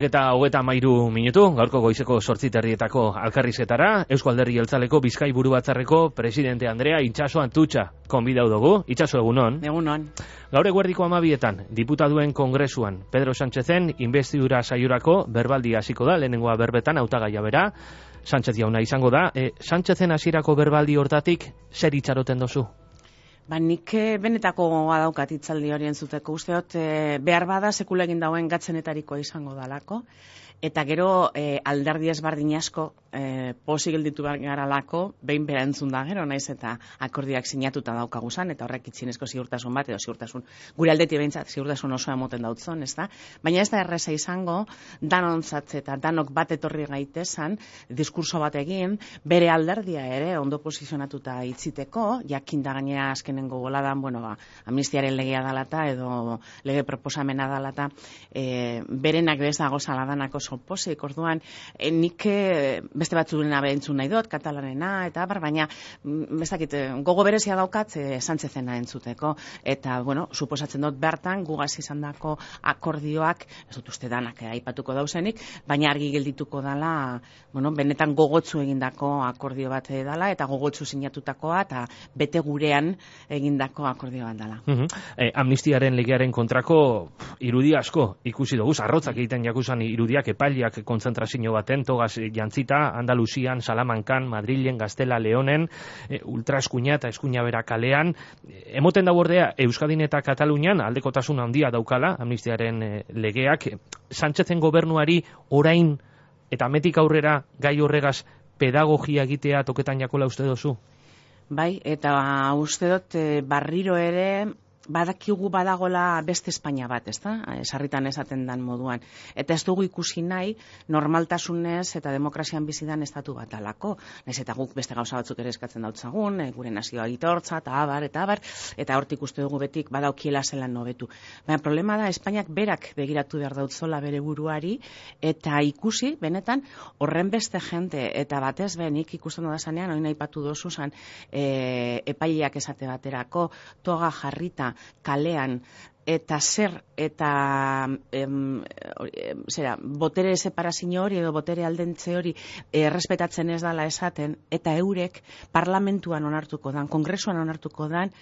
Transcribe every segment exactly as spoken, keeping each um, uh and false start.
Eta hogeta mairu minutu, gaurko goizeko sortzi terdietako alkarrizketara, Eusko Alderdi Jeltzaleko Bizkai Buru Batzarreko presidente Andrea Itxaso Antutxa konbidau dugu. Itxaso, egunon. Egunon. Gaur eguerdiko amabietan, diputaduen kongresuan, Pedro Sánchezen investidura saiorako berbaldi hasiko da, lehenengoa berbetan hautagaia bera, Sánchez jauna izango da. E, Sánchezen hasierako berbaldi hortatik, zer itxaroten dozu? Ba, nik benetako adaukat itzaldi horien zuteko usteot, e, behar bada sekula egin dauen gatzenetarikoa izango dalako, eta gero e, alderdi ezberdin asko e, posi gelditu garalako, behin bera entzun da gero, naiz eta akordiak sinatuta daukaguzan, eta horrek itzinezko ziurtasun bat, edo ziurtasun, gure aldeti behintzat ziurtasun osoa emoten dautzon, ez da? Baina ez da erreza izango, danontzat eta danok bat etorri gaitezan, diskurso bat egin, bere alderdia ere ondo posizionatuta itziteko, jakin da gainera azkenengo boladan, bueno, ba, amnistiaren legea dalata, edo lege proposamena dalata, e, berenak bez dago saladanako soposik, orduan, e, nik e, beste batzurena behentzun nahi dut, katalanena, eta bar, baina, bezakit, gogo berezia daukat, e, Sánchezena entzuteko, eta, bueno, suposatzen dut bertan, gugaz izan dako akordioak, ez dut uste danak, eh, aipatuko dauzenik, baina argi geldituko dala, bueno, benetan gogotzu egindako akordio bat dela, eta gogotzu sinatutakoa, eta bete gurean egindako akordio bat dela. Uh -huh. e, amnistiaren legearen kontrako pff, irudi asko ikusi dugu, arrotzak egiten jakusan irudiak epaileak kontzentrazio baten, togaz jantzita, Andaluzian, Salamankan, Madrilen, Gaztela, Leonen, e, ultraeskuina eta eskuina bera kalean, e, emoten da bordea Euskadin eta Katalunian aldekotasun handia daukala amnistiaren e, legeak, e, Sánchezen gobernuari orain eta metik aurrera gai horregaz pedagogia egitea toketan jakola uste dozu? Bai, eta uste dut e, barriro ere badakigu badagola beste Espainia bat, ez da? Sarritan esaten dan moduan. Eta ez dugu ikusi nahi normaltasunez eta demokrazian bizidan estatu bat alako. Naiz eta guk beste gauza batzuk ere eskatzen dautzagun, e, gure nazioa aitortza, eta abar, eta abar, eta hortik uste dugu betik badaukiela zelan nobetu. Baina problema da, Espainiak berak begiratu behar dautzola bere buruari, eta ikusi, benetan, horren beste jente, eta batez benik ikusten da zanean, hori nahi patu dozu zan, e, epaileak esate baterako, toga jarrita, kalean, eta zer, eta em, em, zera, botere separazio hori edo botere aldentze hori errespetatzen ez dala esaten, eta eurek parlamentuan onartuko dan, kongresuan onartuko dan,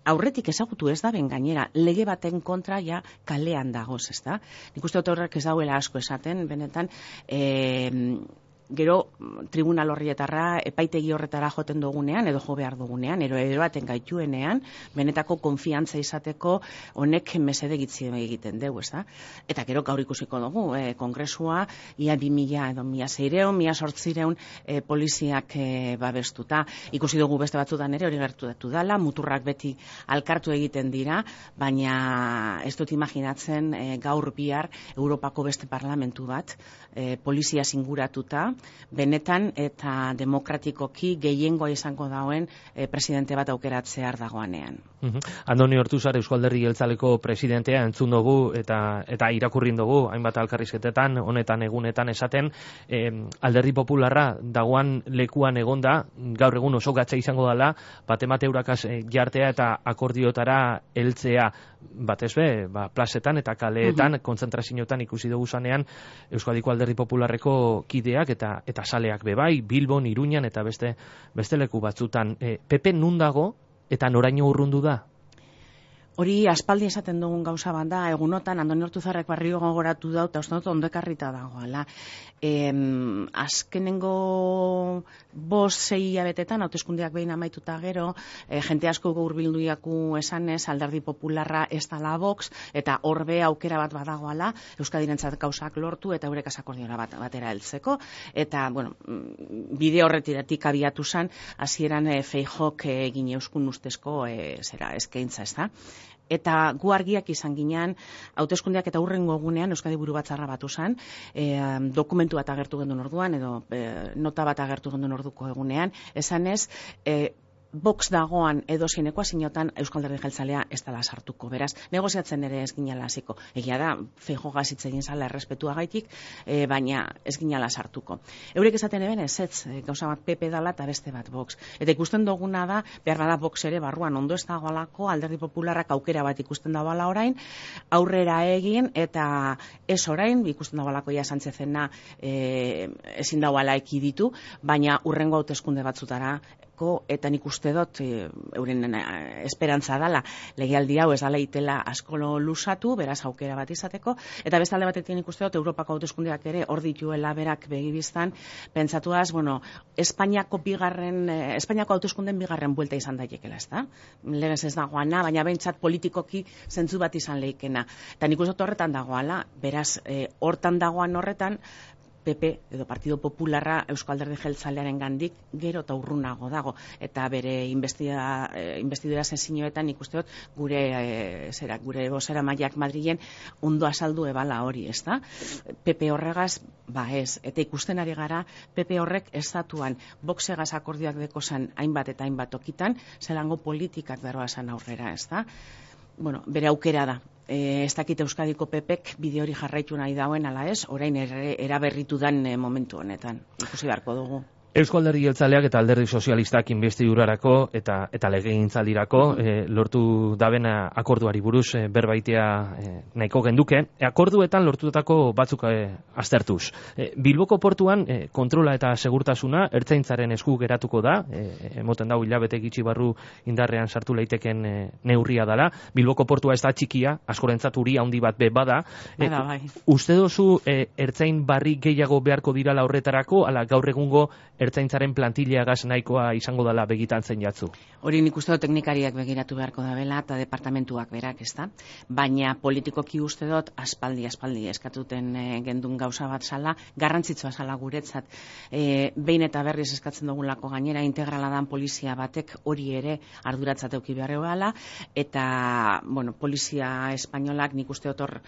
aurretik ezagutu ez da ben gainera, lege baten kontra ja kalean dagoz, ez da? Nik uste dut horrek ez dauela asko esaten, benetan, e, gero tribunal horrietarra epaitegi horretara joten dugunean, edo jo behar dugunean, ero eroaten gaituenean, benetako konfiantza izateko honek mesede gitzi egiten dugu, ez da? Eta gero gaur ikusiko dugu, e, kongresua, ia bi mila edo mila zeireun, mila sortzireun e, poliziak e, babestuta. Ikusi dugu beste batzutan ere hori gertatu dala, muturrak beti alkartu egiten dira, baina ez dut imaginatzen e, gaur bihar Europako beste parlamentu bat, e, polizia singuratuta, benetan eta demokratikoki gehiengoa izango dauen e, presidente bat aukeratzear dagoanean. Uh -huh. Andoni Ortuzar, Eusko Alderdi Jeltzaleko presidentea entzun dugu eta eta irakurrin dugu hainbat alkarrizketetan, honetan egunetan esaten, eh, Alderdi Popularra dagoan lekuan egonda, gaur egun oso gatza izango dela, batemate eurakaz eh, jartea eta akordiotara heltzea, batez be, ba, plazetan eta kaleetan, uh -huh. kontzentrazioetan ikusi dugu zanean, Euskadiko Alderdi Popularreko kideak eta eta saleak bebai, Bilbon, Iruñan eta beste beste leku batzutan. E, P P nun dago eta noraino urrundu da? Hori aspaldi esaten dugun gauza bat da, egunotan Andoni Ortuzarrek barrio gogoratu da, eta uste dut ondo ekarrita dagoela. E, azkenengo bost sei hilabetetan, hauteskundeak behin amaituta gero, e, jente asko hurbilduiaku esanez, Alderdi Popularra ez dala Vox, eta horbe aukera bat badagoala, Euskadirentzat gauzak lortu, eta eurek akordiora bat, batera heltzeko, eta, bueno, bide horretiratik abiatu zan, hasieran e, Feijok egin euskun ustezko e, zera eskaintza, ez da? Eta gu argiak izan ginean, hauteskundeak eta hurrengo egunean Euskadi Buru Batzarra batu zen, e, dokumentu bat agertu gendun orduan, edo e, nota bat agertu gendun orduko egunean, esanez, e, box dagoan edozein ekuaziotan Eusko Alderdi Jeltzalea ez dela sartuko. Beraz, negoziatzen ere ez ginala hasiko. Egia da, Feijogaz hitz egin zala errespetuagaitik, e, baina ez ginala sartuko. Eurek esaten eben ez ez, gauza bat P P dala eta beste bat Vox. Eta ikusten duguna da, behar bada Vox ere barruan ondo ez dagoalako, Alderdi Popularrak aukera bat ikusten dagoala orain, aurrera egin eta ez orain, ikusten dagoalako ja Sánchezena e, ezin dagoala ekiditu, baina urrengo hauteskunde batzutara eta nik uste dut e, euren esperantza dala legealdi hau ez dala itela asko lusatu, beraz aukera bat izateko, eta beste alde batetik nik uste dut Europako hauteskundeak ere hor dituela berak begibiztan, pentsatuaz, bueno, Espainiako bigarren, eh, Espainiako hauteskunden bigarren buelta izan daikela, ez da? Legez ez dagoana, baina behintzat politikoki zentzu bat izan leikena. Eta nik uste dut horretan dagoala, beraz, eh, hortan dagoan horretan, P P edo Partido Popularra Eusko Alderdi Jeltzalearen gandik gero eta urrunago dago, eta bere investidura, eh, investidura sezioetan ikuste dut gure eh, zera, gure bozera maiak Madrilen ondo azaldu ebala hori, ez da? P P horregaz, ba ez, eta ikusten ari gara P P horrek estatuan boxegaz akordioak dekozan hainbat eta hainbat okitan, zelango politikak daroazan aurrera, ez da? Bueno, bere aukera da. E, ez dakit Euskadiko P Pek bide hori jarraitu nahi dauen ala ez, orain eraberritu dan e, momentu honetan. Ikusi beharko dugu. Eusko Alderdi Jeltzaleak eta Alderdi Sozialistak investidurarako eta eta legegintzaldirako e, lortu dabena akorduari buruz e, berbaitea e, nahiko genduke. E, akorduetan lortutako batzuk e, aztertuz. E, Bilboko portuan e, kontrola eta segurtasuna ertzaintzaren esku geratuko da, e, emoten dau hilabete gitxi barru indarrean sartu leiteken e, neurria dala. Bilboko portua ez da txikia, askorentzat uri handi bat be bada. E, Bada, bai. Uste dozu e, ertzain barri gehiago beharko dirala horretarako, ala gaur egungo ertzaintzaren plantileagaz nahikoa izango dela begitan zein jatzu? Hori nik uste dut teknikariak begiratu beharko dabela eta departamentuak berak, ez da? Baina politikoki uste dut aspaldi, aspaldi eskatuten e, gendun gauza bat zala, garrantzitsua zala guretzat. E, behin eta berriz eskatzen dugulako gainera integrala dan polizia batek hori ere arduratzat euki beharreo gala, eta, bueno, polizia espainolak nik uste dut hor,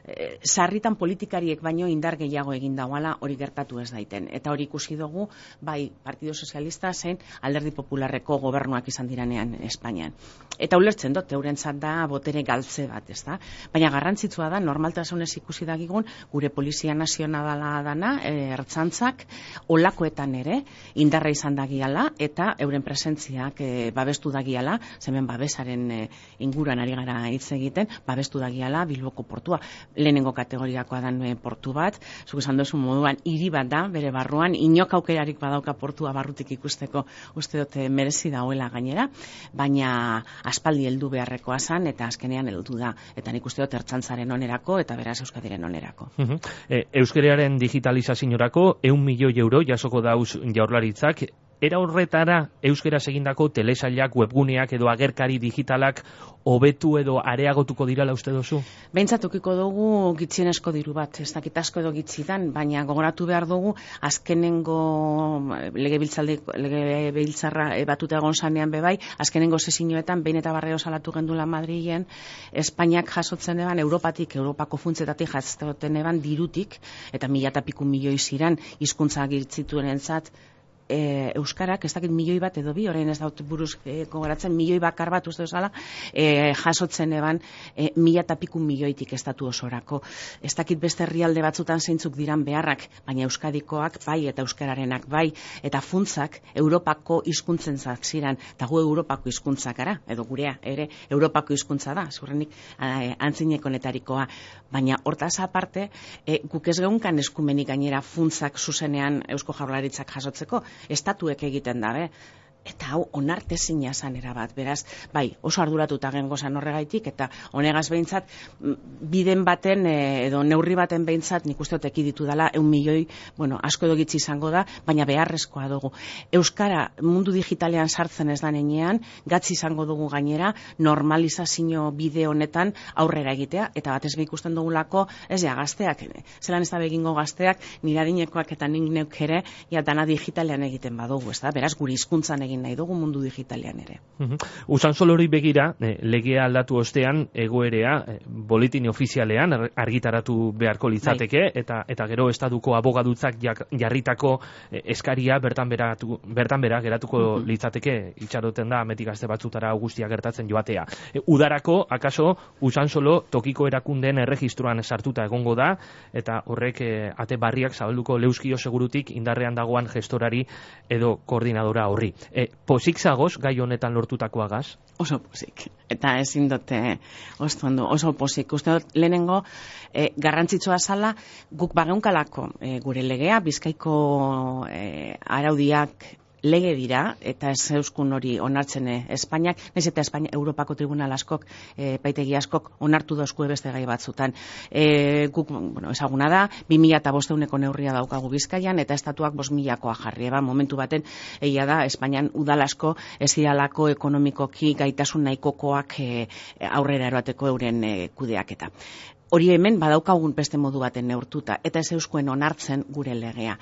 e, sarritan politikariek baino indar gehiago egin dauala hori gertatu ez daiten. Eta hori ikusi dugu, bai Partido Sozialista zein Alderdi Popularreko gobernuak izan diranean Espainian. Eta ulertzen dut, eurentzat da botere galtze bat, ez da? Baina garrantzitsua da, normaltasunez ikusi dagigun, gure Polizia Nazionala dana, e, ertzantzak, olakoetan ere, indarra izan dagiala, eta euren presentziak e, babestu dagiala, zemen babesaren e, inguruan ari gara hitz egiten, babestu dagiala Bilboko portua. Lehenengo kategoriakoa dan e, portu bat, zuk esan duzu moduan, hiri bat da, bere barruan, inok aukerarik badauka portua barrutik ikusteko, uste dut merezi dagoela gainera, baina aspaldi heldu beharrekoa zan, eta azkenean heldu da, eta nik uste dut ertzantzaren onerako, eta beraz Euskadiren onerako. Uh-huh. e, Euskararen digitalizaziorako ehun milioi euro jasoko dauz Jaurlaritzak. Era horretara euskeraz egindako telesailak, webguneak edo agerkari digitalak hobetu edo areagotuko dirala uste dozu? Behintzatokiko dugu gitxienesko diru bat, ez dakit asko edo gitxidan, baina gogoratu behar dugu azkenengo legebiltzarra batuta egon zanean bebai, azkenengo sesiñoetan behin eta barreo salatu gendula Madrilen, Espainiak jasotzen eban, Europatik, Europako funtzetatik jasotzen eban dirutik, eta mila eta piku milioi ziran hizkuntza girtzituen entzat, E, Euskarak, ez dakit milioi bat edo bi, orain ez daut buruz e, gogoratzen, milioi bakar bat uste duzala, e, jasotzen eban e, mila eta piku milioitik estatu osorako. Ez dakit beste herrialde batzutan zeintzuk diran beharrak, baina Euskadikoak bai eta Euskararenak bai, eta funtzak Europako hizkuntzenzak ziran, eta gu Europako hizkuntzak ara, edo gurea ere Europako hizkuntza da, zurrenik e, antzinekonetarikoa, baina hortaz aparte, e, guk ez geunkan eskumenik gainera funtzak zuzenean Eusko Jaurlaritzak jasotzeko, estatuek egiten dabe. Eta hau onartezina zan erabat, beraz, bai, oso arduratuta gengo zan horregaitik, eta honegaz behintzat, biden baten, edo neurri baten behintzat, nik uste oteki ditu dela, eun milioi, bueno, asko edo gitzi izango da, baina beharrezkoa dugu. Euskara mundu digitalean sartzen ez da nenean, gatzi izango dugu gainera, normalizazio bide honetan aurrera egitea, eta batez be ikusten dugulako, ez ja, gazteak, zelan ez da begingo gazteak, nire adinekoak eta nik neuk ere, ja, dana digitalean egiten badugu, ez da, beraz, guri hizkuntzan egin egin nahi dugu mundu digitalean ere. Usan solori begira, eh, legea aldatu ostean egoerea eh, boletin ofizialean argitaratu beharko litzateke, bai. eta eta gero estaduko abogadutzak jarritako eh, eskaria bertan beratu, bertan bera geratuko uh-huh. litzateke, itxaroten da ametik gazte batzutara guztia gertatzen joatea. E, udarako, akaso, usan solo tokiko erakundeen erregistroan sartuta egongo da, eta horrek eh, ate barriak zabalduko leuskio segurutik indarrean dagoan gestorari edo koordinadora horri. E, pozik zagoz, gai honetan lortutakoagaz? Oso pozik. Eta ezin dute osto ondo, oso pozik. Uste dut lehenengo e, garrantzitsua zala guk bageunkalako e, gure legea, Bizkaiko e, araudiak lege dira, eta ez euskun hori onartzen Espainiak, naiz eta Espainia, Europako tribunal askok, e, paitegi askok onartu dauzkue beste gai batzutan. E, guk, bueno, ezaguna da, bi mila eta bosteuneko neurria daukagu Bizkaian, eta estatuak bost milakoa jarri, eba, momentu baten, egia da, Espainian udal asko ez diralako ekonomikoki gaitasun nahikokoak e, aurrera eroateko euren e, kudeaketa. Hori hemen badaukagun beste modu baten neurtuta, eta ez euskuen onartzen gure legea.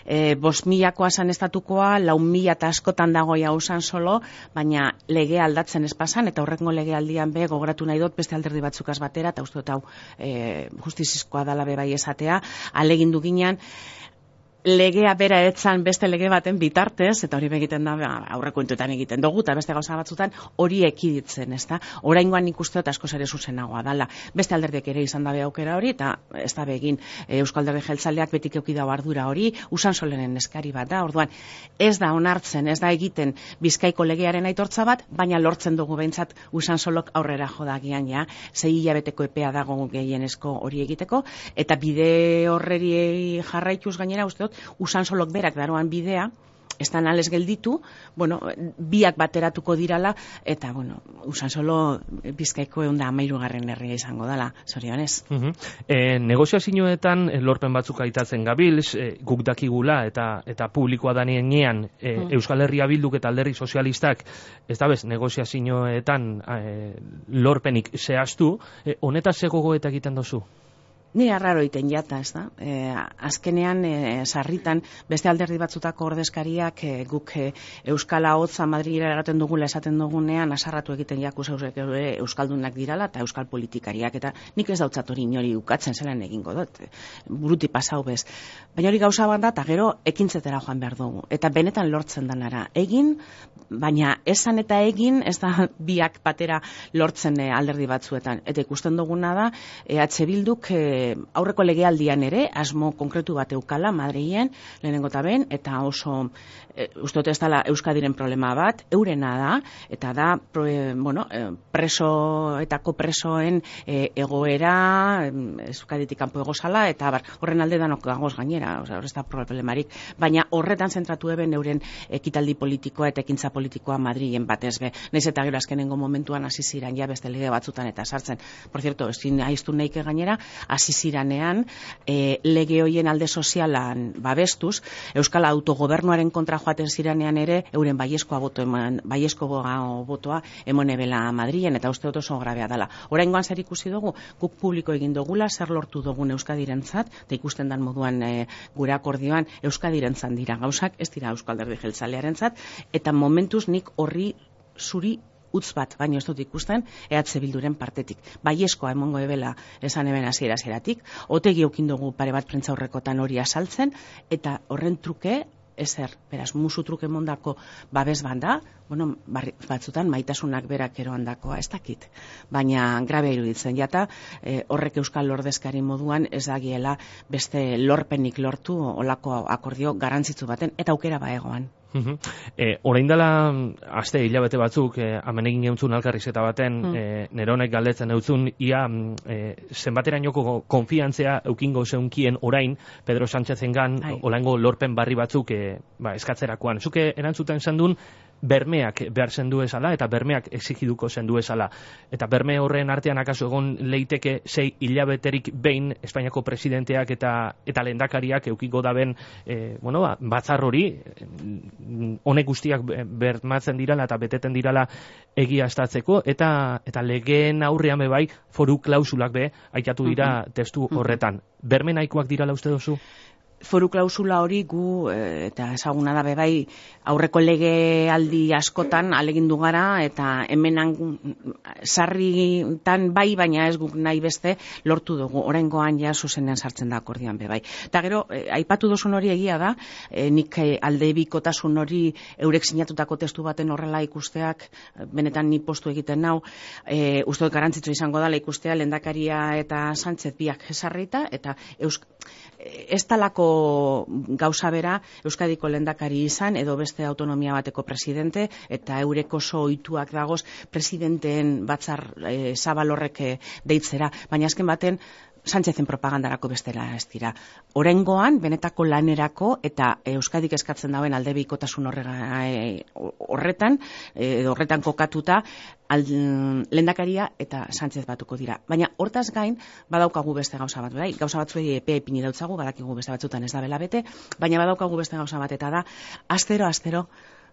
E, bost milakoa zan estatukoa, lau mila eta askotan dagoia usan solo, baina legea aldatzen ez pasan, eta horrengo legealdian be gogoratu nahi dut beste alderdi batzukaz batera, eta uste dut hau e, justizizkoa dala be bai esatea, alegindu ginean, legea bera etzan beste lege baten bitartez, eta hori begiten da aurrekontuetan egiten dugu, eta beste gauza batzutan hori ekiditzen, ezta? Oraingoan ikuste dut askoz ere zuzenagoa dala. Beste alderdiek ere izan dabe aukera hori, eta ez da begin Euskal Alderdi Jeltzaleak betik euki dau ardura hori, usan solenen eskari bat da, orduan ez da onartzen, ez da egiten Bizkaiko legearen aitortza bat, baina lortzen dugu behintzat usan solok aurrera jodagian, ja, sei hilabeteko epea dago gehienezko hori egiteko, eta bide horreri jarraituz gainera uste dut usan solok berak daroan bidea, estan ales gelditu, bueno, biak bateratuko dirala, eta, bueno, usan solo Bizkaiko eunda amairugarren herria izango dala, zorionez. Uh-huh. E, negoziazioetan lorpen batzuk aitatzen gabilz, e, guk dakigula, eta eta publikoa danienean, e, uh-huh. Euskal Herria Bilduk eta Alderdi Sozialistak, ez da bez, negoziazioetan e, lorpenik zehaztu, e, honetaz zegogo eta egiten dozu? Ni arraro iten jata, ez da. E, azkenean, e, sarritan, beste alderdi batzutako ordezkariak e, guk e, Euskala hotza Madrilera eraten dugula esaten dugunean, asarratu egiten jakuz Euskaldunak dirala eta Euskal politikariak, eta nik ez dautzat hori inori ukatzen zelan egingo dut, buruti pasau bez. Baina hori gauza bat da, eta gero ekintzetera joan behar dugu. Eta benetan lortzen danara. Egin, baina esan eta egin, ez da biak batera lortzen e, alderdi batzuetan. Eta ikusten duguna da, E H Bilduk e, aurreko legealdian ere, asmo konkretu bat eukala Madrilen, lehenengo eta ben, eta oso, e, uste dut ez dela Euskadiren problema bat, eurena da, eta da, pro, e, bueno, presoetako presoen e, egoera, Euskaditik kanpo egozala, eta bar, horren alde danok gagoz gainera, hor ez da problemarik, baina horretan zentratu eben euren ekitaldi politikoa eta ekintza politikoa Madrilen batez be. Naiz eta gero azkenengo momentuan hasi ziran ja beste lege batzutan eta sartzen. Por cierto, ezin aiztu nahike gainera, hasi ziranean e, lege hoien alde sozialan babestuz, Euskal autogobernuaren kontra joaten ziranean ere euren baiezkoa boto eman, baiezko botoa emonebela Madrilen, eta uste dut oso grabea dela. Oraingoan zer ikusi dugu, guk publiko egin dugula, zer lortu dugun Euskadirentzat, eta ikusten dan moduan e, gure akordioan Euskadirentzat dira gauzak, ez dira Euskal Alderdi Jeltzalearentzat, eta momentuz nik horri zuri utz bat, baino ez dut ikusten, E H Bilduren partetik. Baieskoa emongo ebela esan eben hasiera hasieratik, otegi eukin dugu pare bat prentza horrekotan hori asaltzen, eta horren truke, ezer, beraz, musu truke mondako babes banda, bueno, barri, batzutan maitasunak berak eroandakoa, ez dakit. Baina grabe iruditzen jata, e, horrek Euskal Ordezkari moduan ez dagiela beste lorpenik lortu olako akordio garantzitsu baten, eta aukera baegoan. Uh-huh. E, orain dela aste hilabete batzuk e, hemen egin geuntzun alkarrizketa baten mm. e, neronek galdetzen eutzun ia e, zenbaterainoko konfiantzea eukingo zeunkien orain Pedro Sánchezengan olango lorpen barri batzuk e, ba, eskatzerakoan. Zuke erantzuten zendun bermeak behar zendu esala eta bermeak exigiduko zendu esala. Eta berme horren artean akaso egon leiteke sei hilabeterik behin Espainiako presidenteak eta eta lehendakariak eukiko daben e, bueno, ba, batzar hori honek guztiak bermatzen dirala eta beteten dirala egiaztatzeko, eta eta legeen aurrean be bai foru klausulak be aitatu dira uh-huh. testu horretan. Berme nahikoak dirala uste duzu? foru klausula hori gu, e, eta ezaguna da bebai, aurreko legealdi askotan alegindu gara, eta hemenan sarritan bai, baina ez guk nahi beste lortu dugu. Oraingoan ja zuzenean sartzen da akordioan bebai. Eta gero, e, aipatu duzun hori egia da, e, nik e, aldebikotasun hori eurek sinatutako testu baten horrela ikusteak, benetan ni postu egiten nau, e, uste dut garrantzitsu izango dela ikustea Lehendakaria eta Sánchez biak jesarrita, eta eusk, ez talako gauza bera Euskadiko lehendakari izan edo beste autonomia bateko presidente, eta eurek oso ohituak dagoz presidenteen batzar e, zabal horrek e, deitzera, baina azken baten Sánchezen propagandarako bestela ez dira. Oraingoan benetako lanerako eta Euskadik eskatzen dauen aldebikotasun horretan edo horretan kokatuta Lehendakaria eta Sánchez batuko dira. Baina hortaz gain badaukagu beste gauza bat, bai? Gauza batzuei epea ipini dautzagu, badakigu beste batzutan ez da bela bete, baina badaukagu beste gauza bat, eta da astero astero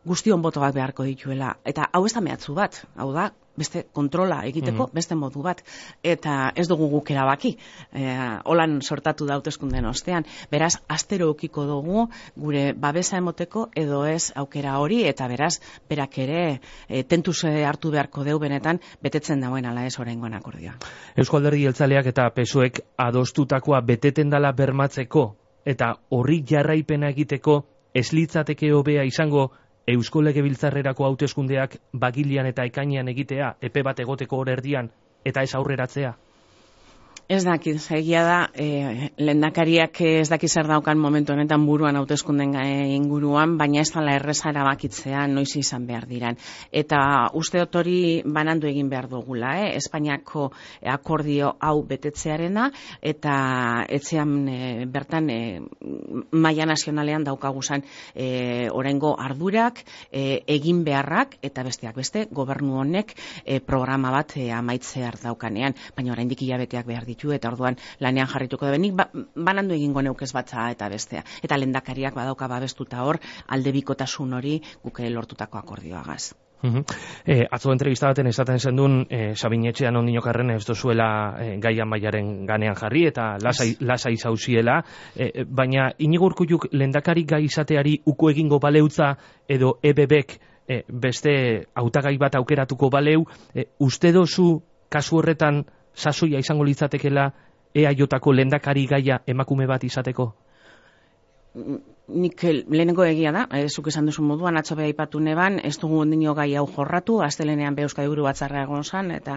guztion boto bat beharko dituela. Eta hau ez da mehatzu bat, hau da beste kontrola egiteko mm. beste modu bat, eta ez dugu guk erabaki. E, holan sortatu da hauteskundeen ostean. Beraz, astero eukiko dugu gure babesa emoteko edo ez aukera hori, eta beraz, berak ere e, tentuz hartu beharko deu benetan betetzen dauen ala ez oraingoan akordioa. Euzko Alderdi Jeltzaleak eta P S O Ek adostutakoa beteten dala bermatzeko eta horri jarraipena egiteko ez litzateke hobea izango Eusko Legebiltzarrerako hauteskundeak bagilean eta ekainean egitea, epe bat egoteko hor erdian, eta ez aurreratzea? Ez dakit, egia da, e, lehendakariak ez dakit zer daukan momentu honetan buruan hauteskunden inguruan, baina ez dela erreza erabakitzea noiz izan behar diran. Eta uste dut hori banandu egin behar dugula, eh? Espainiako akordio hau betetzearena, eta etxean e, bertan e, maila nazionalean daukaguzan e, oraingo ardurak, e, egin beharrak, eta besteak beste, gobernu honek e, programa bat e, amaitzear daukanean, baina oraindik hilabeteak behar ditu, eta orduan lanean jarrituko da benik, ba, banandu egingo neukez batza eta bestea. Eta lehendakariak badauka babestuta hor, aldebikotasun hori guke lortutako akordioagaz. Uh-huh. eh, atzo entrevista baten esaten zendun eh, Sabinetxean ondinokarren ez dozuela eh, gaian mailaren ganean jarri eta lasai, lasai zauziela, eh, baina Inigo Urkulluk lehendakari gai izateari uko egingo baleutza edo E B Bek eh, beste hautagai bat aukeratuko baleu, eh, uste dozu kasu horretan sasoia izango litzatekela E A Jko lehendakari gaia emakume bat izateko? Nik lehenengo egia da, e, zuk esan duzu moduan, atzo beha ipatu neban, ez dugu ondino gai hau jorratu, astelenean be Euskadi Buru Batzarra egon zan, eta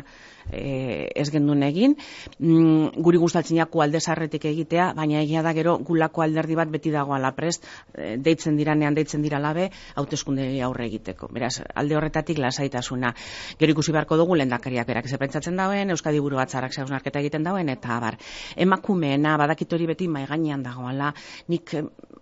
e, ez gendun egin. Mm, guri gustatzinako aldezarretik egitea, baina egia da gero gulako alderdi bat beti dagoala prest, e, deitzen diranean, deitzen dira labe, hauteskunde aurre egiteko. Beraz, alde horretatik lasaitasuna. Gero ikusi beharko dugu lehendakariak berak zepentsatzen dauen, Euskadi Buru Batzarrak hausnarketa egiten dauen, eta abar. Emakumeena, badakit hori beti maigainean dagoala, nik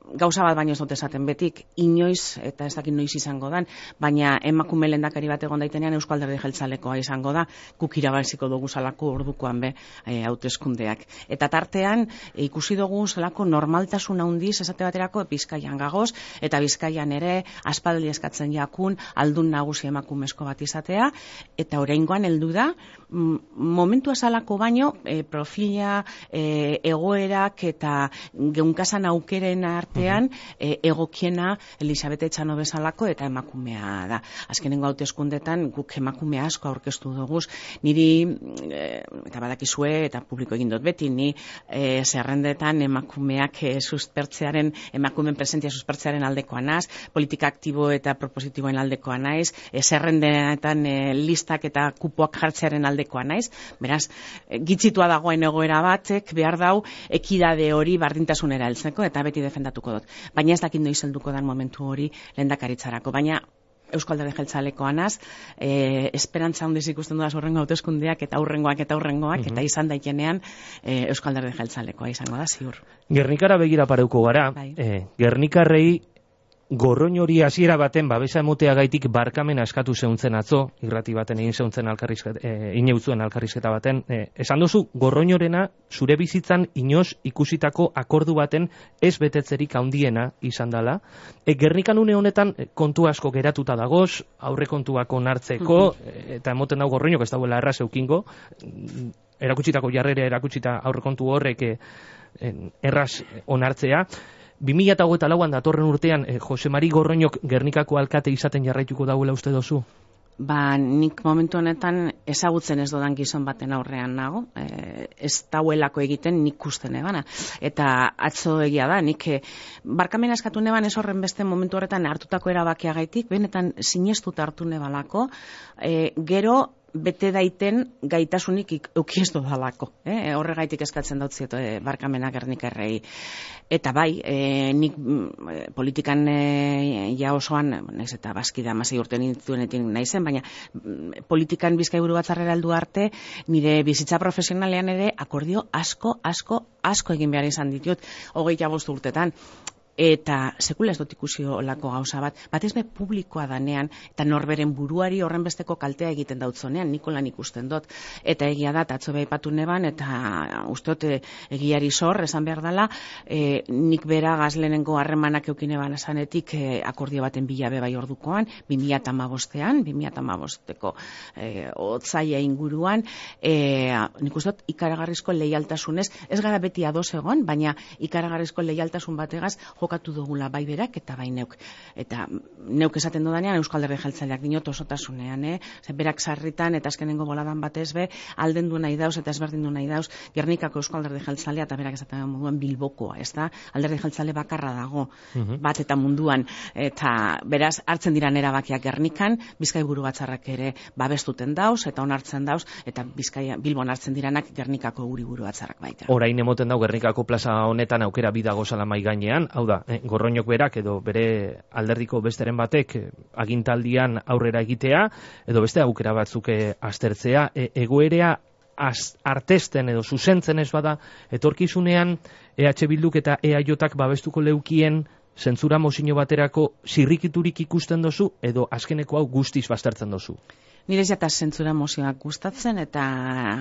gauza bat baino ez dut esaten betik, inoiz, eta ez dakit noiz izango dan, baina emakume lehendakari bat egon daitenean Eusko Alderdi Jeltzalekoa izango da, guk irabaziko dugu salako ordukoan be e, hauteskundeak. Eta tartean, e, ikusi dugu salako normaltasun handiz esate baterako Bizkaian gagoz, eta Bizkaian ere aspaldi eskatzen jakun aldun nagusi emakumezko bat izatea, eta oraingoan heldu da, momentu asalako baino, e, profila, e, egoerak eta geunkasan aukeren artean, e, egokiena Elisabete Etxano bezalako eta emakumea da. Azkenengo hauteskundetan guk emakume asko aurkeztu dugu, niri e, eta badakizue eta publiko egin dut beti, ni e, zerrendetan emakumeak e, suspertzearen, emakumeen presentzia suspertzearen aldekoa naz, politika aktibo eta propositiboen aldekoa naiz, e, zerrendetan e, listak eta kupoak jartzearen aldekoa naiz, beraz, e, gitzitua dagoen egoera batek behar dau ekidade hori bardintasunera heltzeko eta beti defendatuko dut. Baina ez dakit noiz helduko dan momentu hori lehendakaritzarako, baina Eusko Alderdi Jeltzalekoa naz, e, esperantza handiz ikusten dudaz horrengo hauteskundeak eta aurrengoak eta aurrengoak, mm-hmm. eta izan daikenean e, Eusko Alderdi Jeltzalekoa izango da, ziur. Gernikara begira pareuko gara, bai. e, Gernikarrei gorroin hori hasiera baten babesa emotea gaitik barkamena eskatu zeuntzen atzo, irrati baten egin zeuntzen alkarrizketa, e, ineutzuen alkarrizketa baten, e, esan duzu gorroinorena zure bizitzan inoz ikusitako akordu baten ez betetzerik handiena izan dela. E, Gernikan une honetan kontu asko geratuta dagoz, aurre kontuak onartzeko, mm-hmm. eta emoten dago gorroinok ez dauela erraz eukingo, erakutsitako jarrera erakutsita aurre kontu horrek e, erraz onartzea. bi mila hogeita lauan datorren urtean eh, Jose Mari Gorroñok Gernikako alkate izaten jarraituko dauela uste dozu? Ba, nik momentu honetan ezagutzen ez dodan gizon baten aurrean nago, e, ez dauelako egiten nik usten ebana. Eta atzo egia da, nik e, barkamena eskatu neban ez horren beste momentu horretan hartutako erabakiagaitik, benetan sinestuta hartu nebalako, e, gero bete daiten gaitasunik eukiestu dalako. Eh? Horregaitik eskatzen dautziet e, barkamena Gernikarrei. Eta bai, e, nik e, politikan e, ja osoan, naiz eta bazkida amasei urte nintzuenetik naizen, baina politikan Bizkaiburu Batzarrera heldu arte, nire bizitza profesionalean ere akordio asko, asko, asko egin behar izan ditut, hogeita bost urtetan. Eta sekula ez dut ikusi olako gauza bat, batez be publikoa danean, eta norberen buruari horren besteko kaltea egiten dautzonean, nikolan ikusten dut. Eta egia da, atzo beha ipatu neban, eta usteot egiari zor, esan behar dela, e, nik bera gazlenengo harremanak eukine ban esanetik e, akordio baten bilabe bai ordukoan, bi mila hamabostean, bi mila hamabosteko e, otzaia inguruan, e, nik uste dut ikaragarrizko leialtasunez, ez gara beti ados egon, baina ikaragarrizko leialtasun bategaz, jokatu dugula bai berak eta bai neuk. Eta neuk esaten dodanean Euskal Alderdi Jeltzaleak dinot osotasunean, eh? Zer, berak sarritan eta azkenengo boladan batez be, alden du nahi dauz eta ezberdin du nahi dauz Gernikako Euskal Alderdi Jeltzalea eta berak esaten moduan Bilbokoa, ez da? Alderdi Jeltzale bakarra dago, uh-huh. bat eta munduan. Eta beraz, hartzen diran erabakiak Gernikan, Bizkaiburu Batzarrak ere babestuten dauz eta onartzen dauz, eta Bizkaia, Bilbon hartzen diranak Gernikako Uriburu Batzarrak baita. Orain emoten dau Gernikako plaza honetan aukera bidago salamai gainean, hau da, eh, Gorroñok berak edo bere alderdiko besteren batek eh, agintaldian aurrera egitea, edo beste aukera batzuk eh, aztertzea, e, egoerea az, artesten edo zuzentzen ez bada, etorkizunean E H Bilduk eta E A Jak babestuko leukien zentzura mozino baterako zirrikiturik ikusten dozu, edo azkeneko hau guztiz baztertzen dozu? Nire jata zentzura mozioak gustatzen eta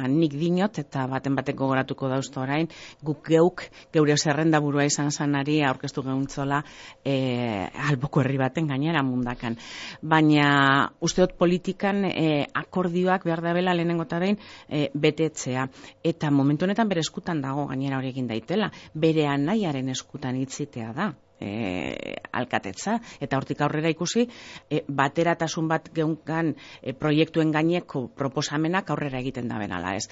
nik dinot eta baten bateko goratuko dauzto orain, guk geuk geure zerrenda burua izan zanari aurkeztu gehuntzola e, alboko herri baten gainera mundakan. Baina usteot politikan e, akordioak behar da bela lehenengo eta behin e, betetzea. Eta momentu honetan bere eskutan dago gainera hori egin daitela. Bere anaiaren eskutan hitzitea da. E, alkatetza, eta hortik aurrera ikusi e, bateratasun bat geunkan e, proiektuen gaineko proposamenak aurrera egiten da benala, ez?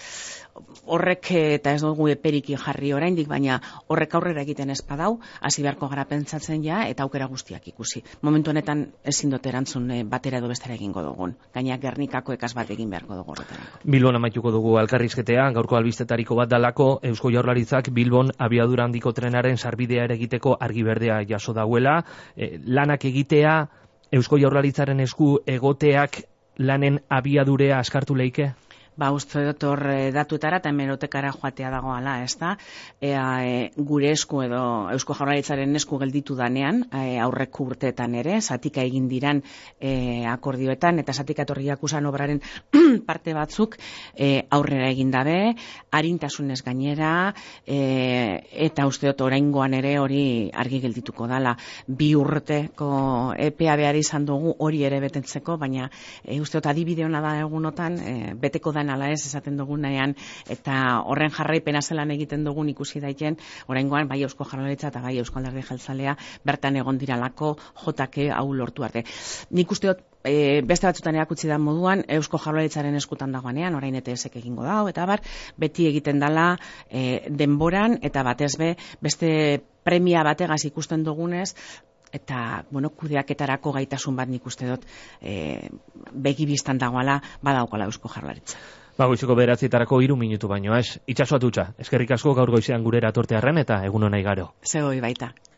Horrek, eta ez dugu eperiki jarri oraindik, baina horrek aurrera egiten ez badau, hasi beharko gara pentsatzen ja, eta aukera guztiak ikusi. Momentu honetan ezin dut erantzun e, batera edo bestera egingo dugun. Gaina Gernikako ekaz bat egin beharko dugu horretarako. Bilbon amaituko dugu elkarrizketea, gaurko albistetariko bat dalako, Eusko Jaurlaritzak Bilbon abiadura handiko trenaren sarbidea ere egiteko argi berdea jaso dauela, eh, lanak egitea, Eusko Jaurlaritzaren esku egoteak lanen abiadurea askartu leike? Ba, uste dut hor datuetara eta hemerotekara joatea dagoala, ez da? Ea, e, gure esku edo Eusko Jaurlaritzaren esku gelditu danean, e, aurreko urteetan ere, zatika egin diran e, akordioetan, eta zatika etorriak usan obraren parte batzuk e, aurrera egin dabe, harintasunez gainera, e, eta uste dut oraingoan ere hori argi geldituko dala. Bi urteko epea behar izan dugu hori ere betetzeko, baina e, uste dut adibide hona da egunotan, e, beteko da ala ez esaten dugunean, eta horren jarraipena zelan egiten dugun ikusi daiten, oraingoan bai Eusko Jaurlaritza eta bai Eusko Alderdi Jeltzalea bertan egon diralako jotake hau lortu arte. Nik uste dut e, beste batzutan erakutsi da moduan Eusko Jaurlaritzaren eskutan dagoenean, orain E T S-ek egingo dago, eta bar, beti egiten dala e, denboran, eta batez be, beste premia bategaz ikusten dugunez, eta, bueno, kudeaketarako gaitasun bat nik uste dut e, begibistan dagoala badaukala Eusko Jaurlaritza. Ba, goizeko bederatzitarako hiru minutu baino, ez? Itxaso atutxa, eskerrik asko gaur goizean gurera tortearren eta egun hona igaro. Zegoi baita.